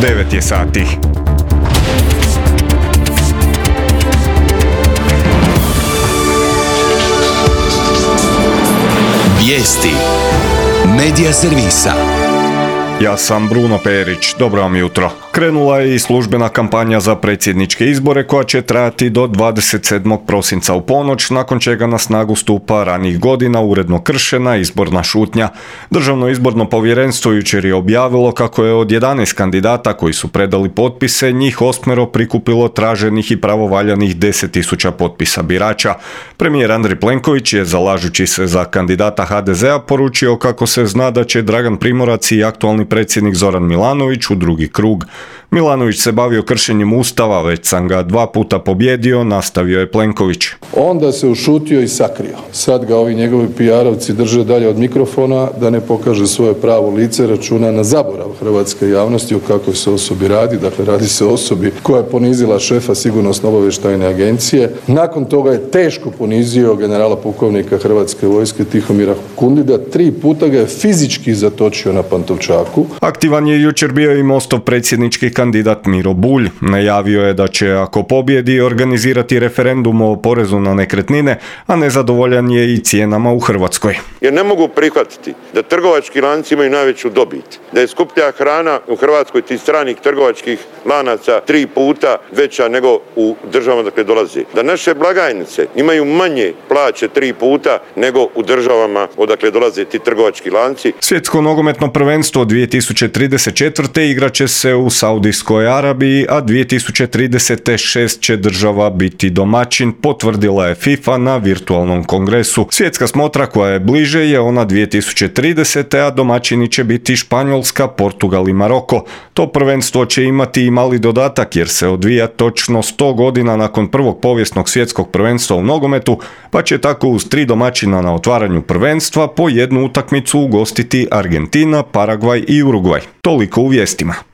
9 je sati. Vijesti Medija servisa. Ja sam Bruno Perić, dobro vam jutro. Krenula je i službena kampanja za predsjedničke izbore koja će trajati do 27. prosinca u ponoć, nakon čega na snagu stupa ranijih godina uredno kršena izborna šutnja. Državno izborno povjerenstvo jučer je objavilo kako je od 11 kandidata koji su predali potpise, njih 8 prikupilo traženih i pravovaljanih 10.000 potpisa birača. Premijer Andrej Plenković je, zalažući se za kandidata HDZ-a, poručio kako se zna da će Dragan Primorac i aktualni predsjednik Zoran Milanović u drugi krug. Milanović se bavio kršenjem Ustava, već sam ga 2 puta pobjedio, nastavio je Plenković. Onda se ušutio i sakrio. Sad ga ovi njegovi PR-ovci drže dalje od mikrofona da ne pokaže svoje pravo lice, računa na zaborav hrvatske javnosti o kakvoj se osobi radi. Dakle, radi se o osobi koja je ponizila šefa Sigurnosno-obavještajne agencije. Nakon toga je teško ponizio generala pukovnika Hrvatske vojske Tihomira Kundida. 3 puta ga je fizički zatočio na Pantovčaku. Aktivan je jučer bio i Mostov predsjednički kandidat Miro Bulj. Najavio je da će, ako pobjedi, organizirati referendum o porezu na nekretnine, a nezadovoljan je i cijenama u Hrvatskoj. Jer ne mogu prihvatiti da trgovački lanci imaju najveću dobit, da je skuplja hrana u Hrvatskoj tih stranih trgovačkih lanaca 3 puta veća nego u državama dakle dolaze. Da naše blagajnice imaju manje plaće 3 puta nego u državama odakle dolaze ti trgovački lanci. Svjetsko nogometno prvenstvo 2034. igraće se u Saudijskoj Arabiji, a 2036 će država biti domaćin, potvrdila je FIFA na virtualnom kongresu. Svjetska smotra koja je bliže je ona 2030. a domaćini će biti Španjolska, Portugal i Maroko. To prvenstvo će imati i mali dodatak jer se odvija točno 100 godina nakon prvog povijesnog svjetskog prvenstva u nogometu, pa će tako uz 3 domaćina na otvaranju prvenstva po jednu utakmicu ugostiti Argentina, Paragvaj i Urugvaj. Toliko u vijestima.